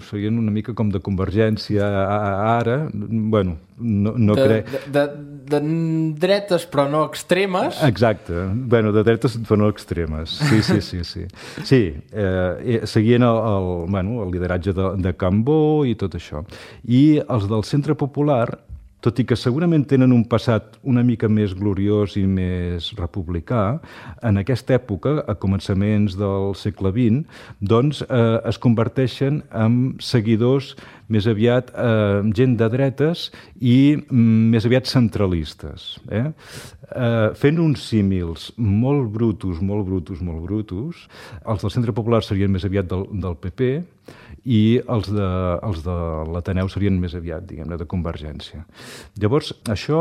Speaker 3: serien una mica com de Convergència ara, bueno, no, no
Speaker 2: de,
Speaker 3: crec...
Speaker 2: De, de, de dretes però no extremes.
Speaker 3: Exacte, bueno, de dretes però no extremes, sí, sí, sí. Sí, sí eh, seguien el, el, bueno, el lideratge de, de Cambó i tot això. I els del Centre Popular, tot i que segurament tenen un passat una mica més gloriós i més republicà, en aquesta època, a començaments del segle vint, doncs eh, es converteixen en seguidors més aviat eh, gent de dretes i mm, més aviat centralistes. Eh? Eh, fent uns símils molt brutos, molt brutos, molt brutos, els del Centre Popular serien més aviat del, del P P, i els de, els de l'Ateneu serien més aviat, diguem-ne, de Convergència. Llavors, això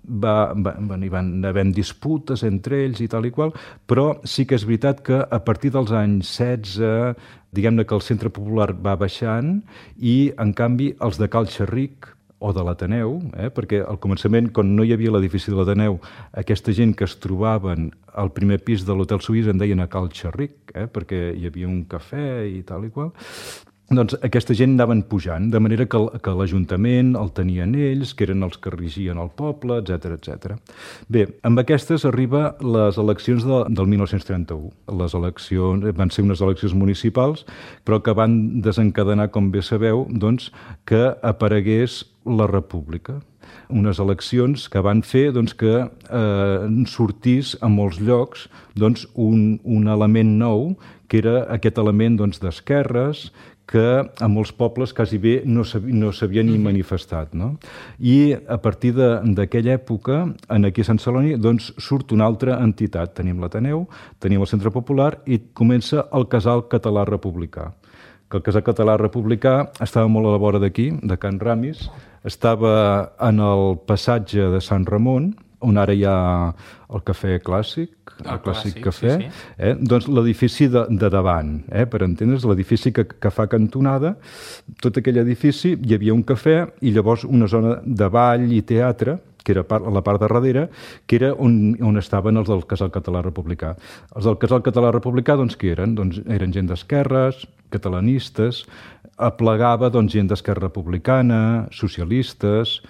Speaker 3: va, va, hi van haver disputes entre ells i tal i qual, però sí que és veritat que a partir dels anys setze, diguem-ne que el Centre Popular va baixant i, en canvi, els de Cal Xerric o de l'Ateneu, eh, perquè al començament, quan no hi havia l'edifici de l'Ateneu, aquesta gent que es trobaven al primer pis de l'Hotel Suís en deien a Cal Xerric, eh, perquè hi havia un cafè i tal i qual. Doncs aquesta gent anaven pujant, de manera que, que l'Ajuntament el tenien ells, que eren els que regien el poble, etcètera, etcètera. Bé, amb aquestes arriba les eleccions de, del dinou trenta-u. Les eleccions van ser unes eleccions municipals, però que van desencadenar, com bé sabeu, doncs, que aparegués la República. Unes eleccions que van fer doncs, que eh, sortís a molts llocs doncs, un, un element nou, que era aquest element doncs, d'esquerres, que a molts pobles quasi bé no s'havia ni manifestat. No? I a partir d'aquella època, aquí a Sant Celoni, doncs, surt una altra entitat. Tenim l'Ateneu, tenim el Centre Popular i comença el Casal Català Republicà. Que el Casal Català Republicà estava molt a la vora d'aquí, de Can Ramis, estava en el passatge de Sant Ramon, on ara hi ha el cafè clàssic, el, el clàssic, clàssic cafè, sí, sí. Eh? Doncs l'edifici de, de davant, eh? Per entendre's, l'edifici que, que fa cantonada, tot aquell edifici hi havia un cafè i llavors una zona de ball i teatre, que era a la part de darrere, que era on, on estaven els del Casal Català Republicà. Els del Casal Català Republicà, doncs, què eren? Doncs eren gent d'esquerres, catalanistes, aplegava doncs, gent d'Esquerra Republicana, socialistes,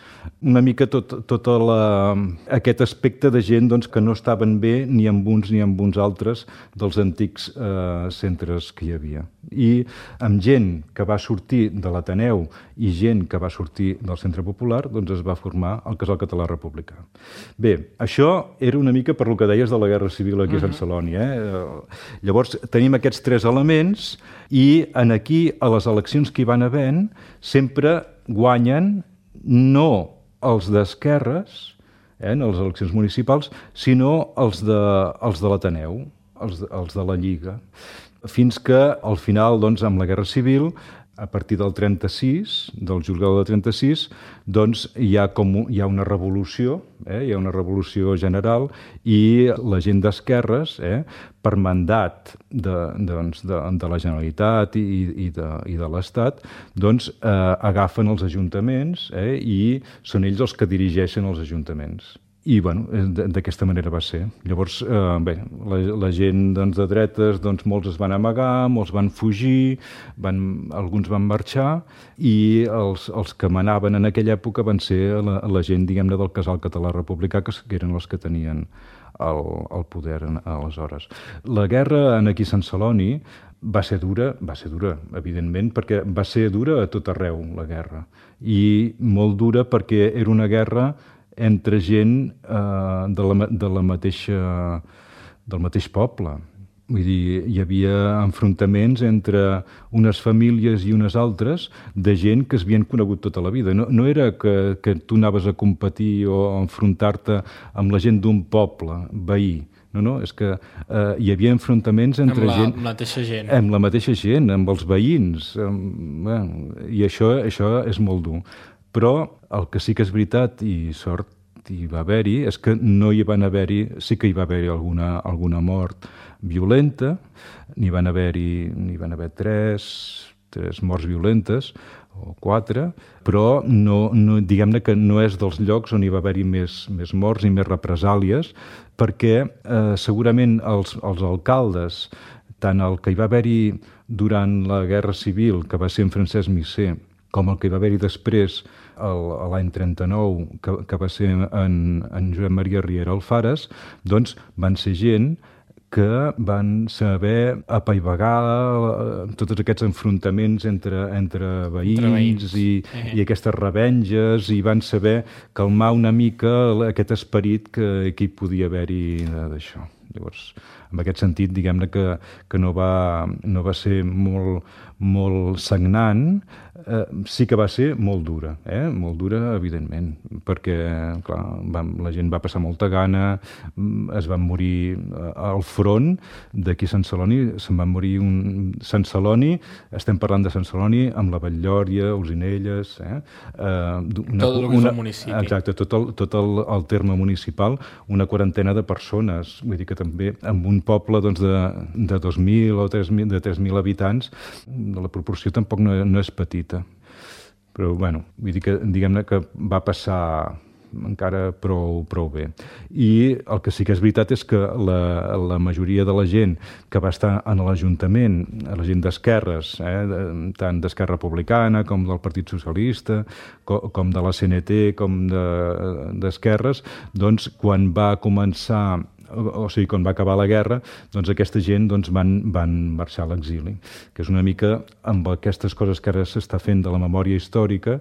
Speaker 3: una mica tot, tot la, aquest aspecte de gent doncs, que no estaven bé ni amb uns ni amb uns altres dels antics eh, centres que hi havia. I amb gent que va sortir de l'Ateneu i gent que va sortir del Centre Popular, doncs es va formar el Casal Català Republicà. Bé, això era una mica per lo que deies de la Guerra Civil aquí a Sant Celoni. Eh? Llavors, tenim aquests tres elements i en aquí, a les eleccions que hi van havent, sempre guanyen no els d'esquerres, eh, en les eleccions municipals, sinó els de, els de l'Ateneu, els, els de la Lliga. Fins que, al final, doncs, amb la Guerra Civil, a partir del trenta-sis, del juliol del trenta-sis, doncs hi ha, com, hi ha una revolució, eh? hi ha una revolució general i la gent d'esquerres, eh? per mandat de, doncs, de, de la Generalitat i, i de, i de l'Estat, doncs eh, agafen els ajuntaments eh? i són ells els que dirigeixen els ajuntaments. I, bueno, d'aquesta manera va ser. Llavors, eh, bé, la, la gent doncs, de dretes, doncs, molts es van amagar, molts van fugir, van, alguns van marxar, i els, els que manaven en aquella època van ser la, la gent, diguem-ne, del Casal Català Republicà, que, que eren els que tenien el, el poder aleshores. La guerra en aquí a Sant Celoni va ser dura, va ser dura, evidentment, perquè va ser dura a tot arreu, la guerra. I molt dura perquè era una guerra entre gent eh, de, la, de la mateixa, del mateix poble. Vull dir, hi havia enfrontaments entre unes famílies i unes altres de gent que s'havien conegut tota la vida. No, no era que, que tu anaves a competir o a enfrontar-te amb la gent d'un poble veí. No, no, és que eh, hi havia enfrontaments entre
Speaker 2: amb la
Speaker 3: gent...
Speaker 2: mateixa gent.
Speaker 3: Amb la mateixa gent, amb els veïns. Amb, bueno, I això, això és molt dur. Però el que sí que és veritat, i sort hi va haver-hi, és que no hi van haver-hi, sí que hi va haver-hi alguna, alguna mort violenta, n'hi van haver-hi, n'hi van haver tres, tres morts violentes, o quatre, però no, no, diguem-ne que no és dels llocs on hi va haver-hi més, més morts i més represàlies, perquè eh, segurament els, els alcaldes, tant el que hi va haver-hi durant la Guerra Civil, que va ser en Francesc Misser, com el que hi va haver-hi després, l'any trenta-nou, que, que va ser en, en Josep Maria Riera Alfares, doncs van ser gent que van saber apaivagar tots aquests enfrontaments entre, entre veïns, entre veïns. I, eh. i aquestes revenges, i van saber calmar una mica aquest esperit que, que hi podia haver-hi d'això. Llavors, en aquest sentit, diguem-ne que, que no, va, no va ser molt, molt sagnant, eh, sí que va ser molt dura, eh? molt dura, evidentment, perquè clar, vam, la gent va passar molta gana, es van morir al front d'aquí a Sant Celoni, se'n van morir un... Sant Celoni, estem parlant de Sant Celoni, amb la Batllòria, Olzinelles... Eh? Eh, una,
Speaker 2: tot el que
Speaker 3: una,
Speaker 2: és el municipi.
Speaker 3: Exacte, tot, el, tot el, el terme municipal, una quarantena de persones, vull dir que també en un poble doncs, de, de dos mil o tres mil, de tres mil habitants, la proporció tampoc no, no és petita. Però, bueno, vull dir que, diguem-ne que va passar encara prou, prou bé. I el que sí que és veritat és que la, la majoria de la gent que va estar en l'Ajuntament, la gent d'esquerres, eh, tant d'Esquerra Republicana com del Partit Socialista, com, com de la C N T, com d'esquerres, de, doncs quan va començar o sigui, quan va acabar la guerra, doncs aquesta gent doncs, van, van marxar a l'exili, que és una mica amb aquestes coses que ara s'està fent de la memòria històrica.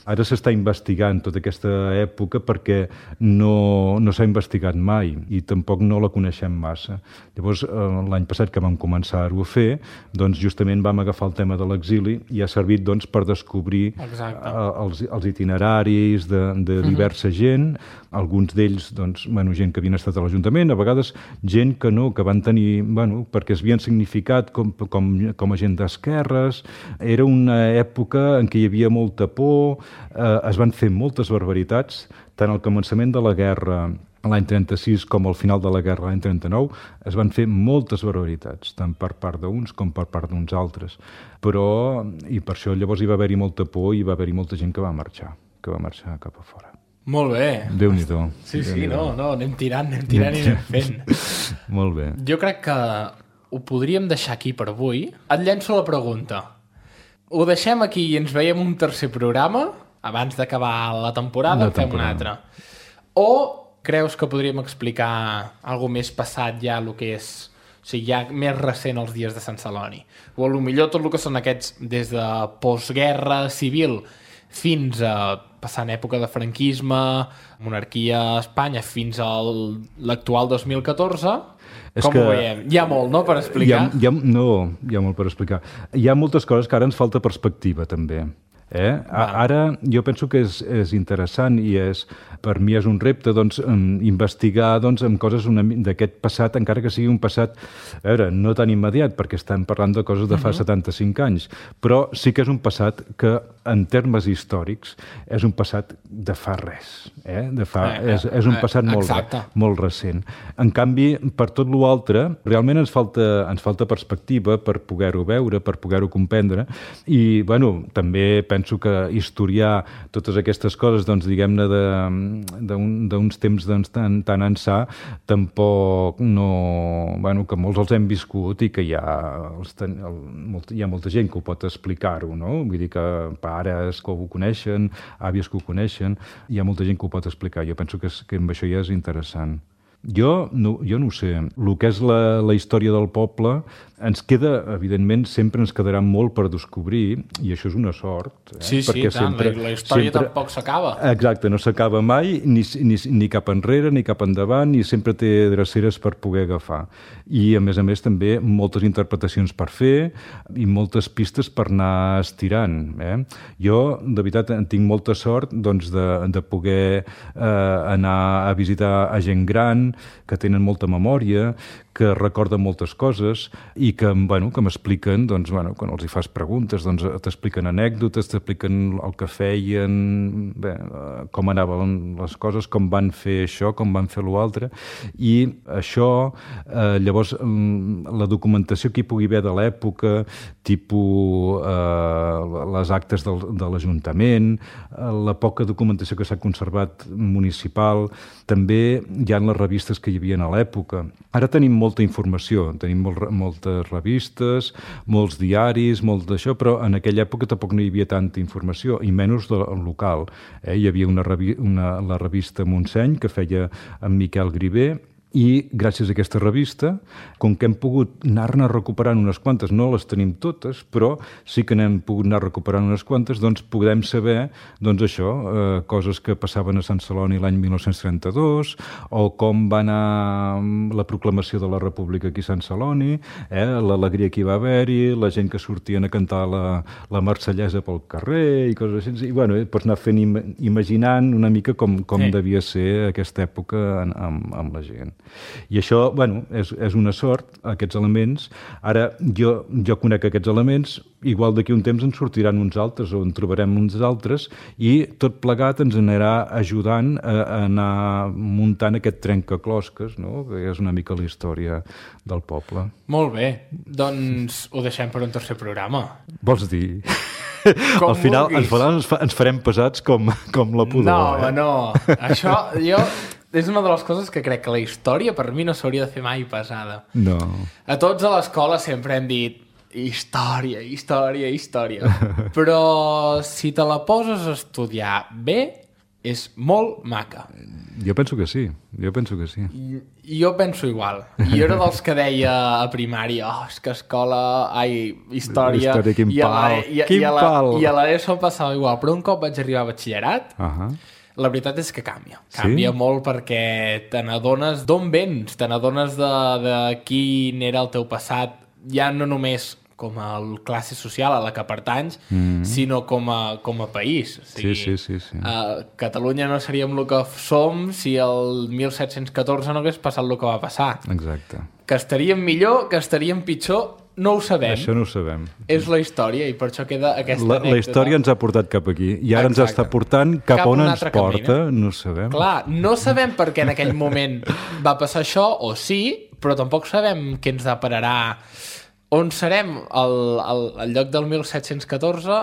Speaker 3: Ara s'està investigant tota aquesta època perquè no, no s'ha investigat mai i tampoc no la coneixem massa. Llavors, l'any passat que vam començar-ho a fer, doncs justament vam agafar el tema de l'exili i ha servit doncs, per descobrir els, els itineraris de, de diversa uh-huh. gent, alguns d'ells, doncs, bueno, gent que havien estat a l'Ajuntament, a vegades gent que no, que van tenir, bueno, perquè es havien significat com, com, com a gent d'esquerres. Era una època en què hi havia molta por, eh, es van fer moltes barbaritats, tant al començament de la guerra l'any trenta-sis com al final de la guerra l'any trenta-nou, es van fer moltes barbaritats, tant per part d'uns com per part d'uns altres. Però, i per això llavors hi va haver-hi molta por i hi va haver-hi molta gent que va marxar, que va marxar cap a fora.
Speaker 2: Molt bé.
Speaker 3: Déu-n'hi-do.
Speaker 2: Sí, sí,
Speaker 3: Déu-n'hi-do.
Speaker 2: no, no, anem tirant, anem tirant i anem fent.
Speaker 3: Molt bé.
Speaker 2: Jo crec que ho podríem deixar aquí per avui. Et llenço la pregunta. Ho deixem aquí i ens veiem un tercer programa abans d'acabar la temporada,
Speaker 3: La
Speaker 2: en fem un
Speaker 3: temporada.
Speaker 2: altre. O creus que podríem explicar alguna més passat ja el que és, o sigui, ja més recent els dies de Sant Celoni? O potser tot el que són aquests des de postguerra civil fins a passant època de franquisme, monarquia a Espanya, fins a l'actual dos mil catorze,
Speaker 3: És
Speaker 2: com
Speaker 3: que
Speaker 2: ho veiem? Hi ha molt, no?, per explicar.
Speaker 3: Hi ha, hi ha, no, hi ha molt per explicar. Hi ha moltes coses que ara ens falta perspectiva, també. Eh? Ara jo penso que és, és interessant i és, per mi és un repte doncs, investigar doncs, amb coses d'aquest passat, encara que sigui un passat, a veure, no tan immediat, perquè estem parlant de coses de fa uh-huh. setanta-cinc anys, però sí que és un passat que, en termes històrics, és un passat de fa res. Eh? De fa,
Speaker 2: eh, eh,
Speaker 3: és, és un passat
Speaker 2: eh,
Speaker 3: molt, molt recent. En canvi, per tot l'altre, realment ens falta, ens falta perspectiva per poder-ho veure, per poder-ho comprendre, i, bueno, també penso que historiar totes aquestes coses, doncs, diguem-ne, d'uns temps doncs, tan, tan ençà, tampoc no... Bueno, que molts els hem viscut i que hi ha, els ten, el, molt, hi ha molta gent que ho pot explicar-ho, no? Vull dir que pares que ho coneixen, àvies que ho coneixen, hi ha molta gent que ho pot explicar. Jo penso que, és, que amb això ja és interessant. Jo no, jo no ho sé. El que és la, la història del poble ens queda, evidentment, sempre ens quedarà molt per descobrir, i això és una sort. Eh?
Speaker 2: Sí, sí,
Speaker 3: perquè
Speaker 2: tant,
Speaker 3: sempre,
Speaker 2: la, la història
Speaker 3: sempre,
Speaker 2: tampoc s'acaba.
Speaker 3: Exacte, no s'acaba mai, ni, ni, ni cap enrere, ni cap endavant, i sempre té dreceres per poder agafar. I, a més a més, també moltes interpretacions per fer i moltes pistes per anar estirant. Eh? Jo, de veritat, en tinc molta sort doncs, de, de poder eh, anar a visitar a gent gran, que tenen molta memòria, que recorden moltes coses i que, bueno, que m'expliquen, doncs, bueno, quan els hi fas preguntes, doncs, t'expliquen anècdotes, t'expliquen el que feien, bé, com anaven les coses, com van fer això, com van fer l'altre, i això, eh, llavors, la documentació que hi pugui haver de l'època, tipus eh, les actes del, de l'Ajuntament, la poca documentació que s'ha conservat municipal, també hi ha les revistes que hi havia a l'època. Ara tenim molta informació, tenim molt, moltes revistes, molts diaris, molt d'això, però en aquella època tampoc no hi havia tanta informació, i menys del local. Eh? Hi havia una, revi una, la revista Montseny, que feia en Miquel Griver, i gràcies a aquesta revista, com que hem pogut anar-ne recuperant unes quantes, no les tenim totes, però sí que n'hem pogut anar recuperant unes quantes, doncs podem saber, doncs això, eh, coses que passaven a Sant Celoni l'any mil nou-cents trenta-dos, o com va anar la proclamació de la República aquí a Sant Celoni, eh, l'alegria que hi va haver-hi, la gent que sortien a cantar la, la marsellesa pel carrer, i coses així. I, bueno, eh, pots anar fent, im imaginant una mica com, com sí. devia ser aquesta època en, amb, amb la gent. I això, bueno, és, és una sort, aquests elements. Ara, jo, jo conec aquests elements, igual d'aquí un temps en sortiran uns altres, o en trobarem uns altres, i tot plegat ens anirà ajudant a, a anar muntant aquest trencaclosques, no?, que és una mica la història del poble.
Speaker 2: Molt bé, doncs ho deixem per un tercer programa.
Speaker 3: Vols dir?
Speaker 2: Com
Speaker 3: Al final ens, faran, ens farem pesats com, com la pudor.
Speaker 2: No,
Speaker 3: eh?
Speaker 2: no, això jo... És una de les coses que crec que la història per mi no s'hauria de fer mai pesada.
Speaker 3: No.
Speaker 2: A tots a l'escola sempre hem dit història, història, història. Però si te la poses a estudiar bé, és molt maca.
Speaker 3: Jo penso que sí, jo penso que sí.
Speaker 2: I, jo penso igual. I jo era dels que deia a primària, oh, és que escola, ai, història...
Speaker 3: Història, quin
Speaker 2: I a
Speaker 3: pal,
Speaker 2: la, i,
Speaker 3: quin
Speaker 2: i a la,
Speaker 3: pal!
Speaker 2: I a l'ESO passava igual, però un cop vaig arribar a batxillerat,
Speaker 3: Ahà.
Speaker 2: la veritat és que canvia. Canvia
Speaker 3: sí?
Speaker 2: molt perquè te n'adones d'on vens, te n'adones de, de quin era el teu passat, ja no només com a classe social a la que pertanys, mm. sinó com a, com a país. O sigui,
Speaker 3: sí, sí, sí. sí.
Speaker 2: Uh, Catalunya no seríem el que som si el mil set-cents catorze no hagués passat el que va passar.
Speaker 3: Exacte.
Speaker 2: Que estaríem millor, que estaríem pitjor, no ho sabem.
Speaker 3: Això no ho sabem.
Speaker 2: És la història i per això queda aquesta
Speaker 3: la,
Speaker 2: anècdota.
Speaker 3: La història ens ha portat cap aquí i ara Exacte. Ens està portant cap, cap on ens porta, camí, no ho sabem.
Speaker 2: Clar, no sabem per què en aquell moment va passar això, o sí, però tampoc sabem què ens depararà. On serem al, al, al lloc del mil set-cents catorze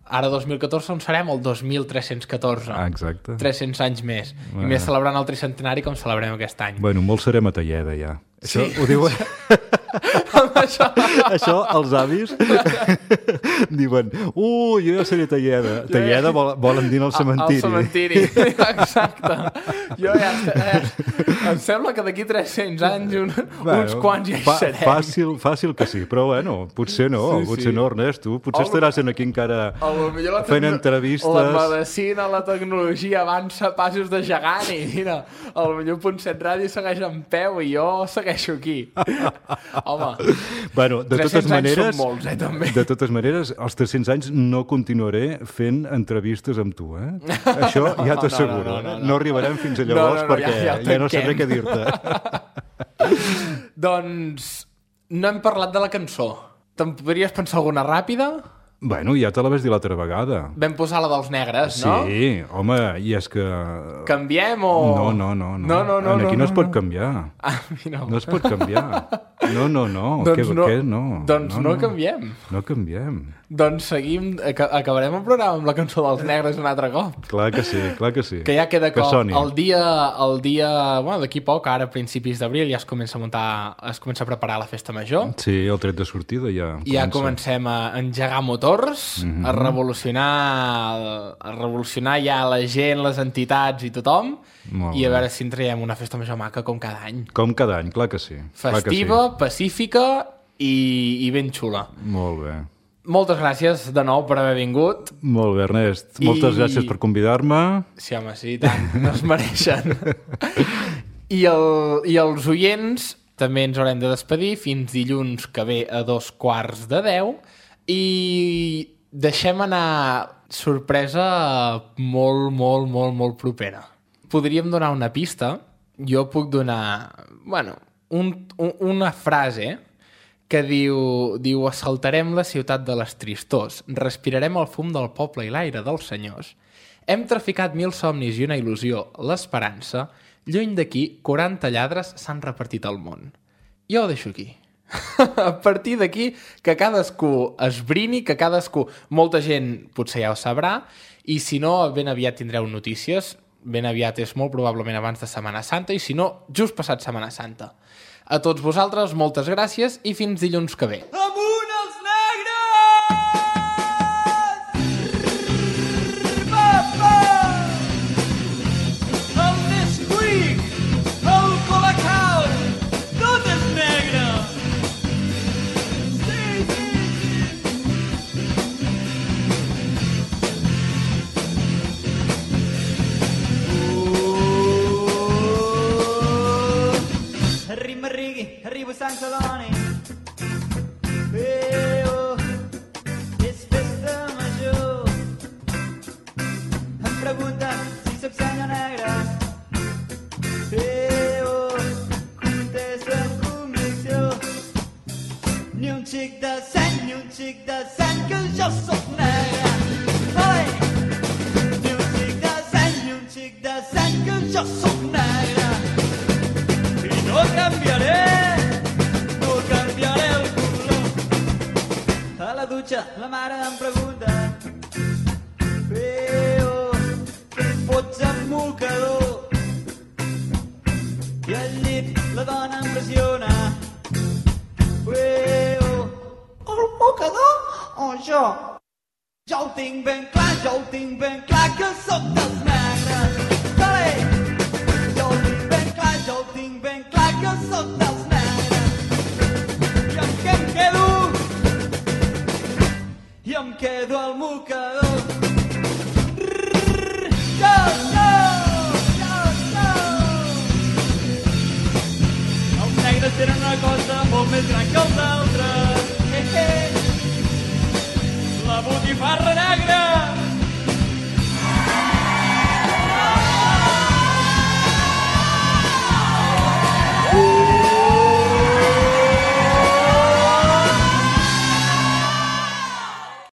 Speaker 2: Ara dos mil catorze on serem? El dos mil tres-cents catorze.
Speaker 3: Ah, exacte.
Speaker 2: tres-cents anys més.
Speaker 3: Bueno.
Speaker 2: I més celebrant el tricentenari com celebrem aquest any.
Speaker 3: Bueno, molt serem a Talleda, ja.
Speaker 2: Sí.
Speaker 3: Això ho diuen...
Speaker 2: això...
Speaker 3: Això, els avis diuen, uh, jo ja seré Talleda. Talleda vol, volen dir al cementiri.
Speaker 2: Al cementiri, exacte. Jo ja, ja... Em sembla que d'aquí tres-cents anys un, bueno, uns quants ja hi
Speaker 3: fa,
Speaker 2: serem.
Speaker 3: Fàcil, fàcil que sí, però bueno, potser no,
Speaker 2: sí,
Speaker 3: potser
Speaker 2: sí.
Speaker 3: no, Ernest, tu potser el... estaràs aquí encara fent entrevistes.
Speaker 2: La medicina, la tecnologia avança passos de gegant i mira, el millor punt set ràdio segueix en peu i jo segueixo aquí. Home,
Speaker 3: bueno, de totes maneres,
Speaker 2: són molts, eh, també.
Speaker 3: De totes maneres, als tres-cents anys no continuaré fent entrevistes amb tu, eh? Això ja t'asseguro.
Speaker 2: No, no, no, no, no.
Speaker 3: no arribarem fins a llavors no, no, no, perquè ja, ja, ja no sabré què dir-te.
Speaker 2: Doncs no hem parlat de la cançó. Te'n podries pensar alguna ràpida?
Speaker 3: Bueno, ja te la vas dir l'altra vegada.
Speaker 2: Vam posar la dels negres,
Speaker 3: sí,
Speaker 2: no?
Speaker 3: Sí, home, i és que...
Speaker 2: Canviem o...?
Speaker 3: No, no, no.
Speaker 2: No, no, no.
Speaker 3: Aquí
Speaker 2: no,
Speaker 3: no es
Speaker 2: no,
Speaker 3: pot
Speaker 2: no.
Speaker 3: canviar.
Speaker 2: Ah, no.
Speaker 3: No es pot canviar. No, no, no.
Speaker 2: Doncs
Speaker 3: què,
Speaker 2: no,
Speaker 3: què? No.
Speaker 2: Doncs no,
Speaker 3: no,
Speaker 2: no canviem.
Speaker 3: No canviem.
Speaker 2: Doncs seguim, acabarem el programa amb la cançó dels negres un altre cop.
Speaker 3: Clar que sí, clar que sí.
Speaker 2: Que ja queda
Speaker 3: que
Speaker 2: cop.
Speaker 3: Soni.
Speaker 2: El dia, el dia, bueno, d'aquí poc, ara a principis d'abril, ja es comença a muntar, es comença a preparar la festa major.
Speaker 3: Sí, el tret de sortida ja
Speaker 2: I ja comencem a engegar motors,
Speaker 3: mm-hmm.
Speaker 2: a revolucionar, a revolucionar ja la gent, les entitats i tothom,
Speaker 3: Molt
Speaker 2: i a
Speaker 3: bé.
Speaker 2: veure si en traiem una festa major maca com cada any.
Speaker 3: Com cada any, clar que sí.
Speaker 2: Festiva,
Speaker 3: clar que sí.
Speaker 2: pacífica i, i ben xula.
Speaker 3: Molt bé.
Speaker 2: Moltes gràcies de nou per haver vingut.
Speaker 3: Molt bé, Ernest. I... Moltes gràcies per convidar-me.
Speaker 2: Sí, home, sí, tant. No es mereixen. I, el, I els oients també ens haurem de despedir fins dilluns que ve a dos quarts de deu i deixem anar sorpresa molt, molt, molt, molt propera. Podríem donar una pista. Jo puc donar, bueno, un, un, una frase que diu, diu assaltarem la ciutat de les tristors, respirarem el fum del poble i l'aire dels senyors, hem traficat mil somnis i una il·lusió, l'esperança, lluny d'aquí, quaranta lladres s'han repartit al món. Jo ho deixo aquí. A partir d'aquí, que cadascú esbrini, que cadascú, molta gent potser ja ho sabrà, i si no, ben aviat tindreu notícies, ben aviat és molt probablement abans de Setmana Santa, i si no, just passat Setmana Santa. A tots vosaltres, moltes gràcies i fins dilluns que ve.
Speaker 4: Amunt els negres! Papa! El Nesquik, el Colacao, tot és negre! Sí, sí, Arriba, Rigui, arriba Sant Celoni. Eh, oh, és festa major. Em pregunten si soc senyor negre. Eh, oh, contesta amb convicció. Ni un xic de sang, ni un xic de sang, que jo soc negre. Oi! Ni un xic de sang, ni un xic de sang, que jo soc negre. I no canviaré, no canviaré el color. A la dutxa la mare em pregunta: Peo, què em fots amb mocador? I al llit la dona em pressiona: Peo, el mocador o jo? Jo ho tinc ben clar, jo ho tinc ben clar, que sóc dels negres. Vale! Jo ho tinc ben clar, jo ho tinc ben clar, que sóc dels negres. I amb què em quedo? I em quedo al mocador. Rrrr, jo, jo, jo, jo. Els negres tenen una cosa molt més gran que els altres. Eh, eh. La botifarra negra.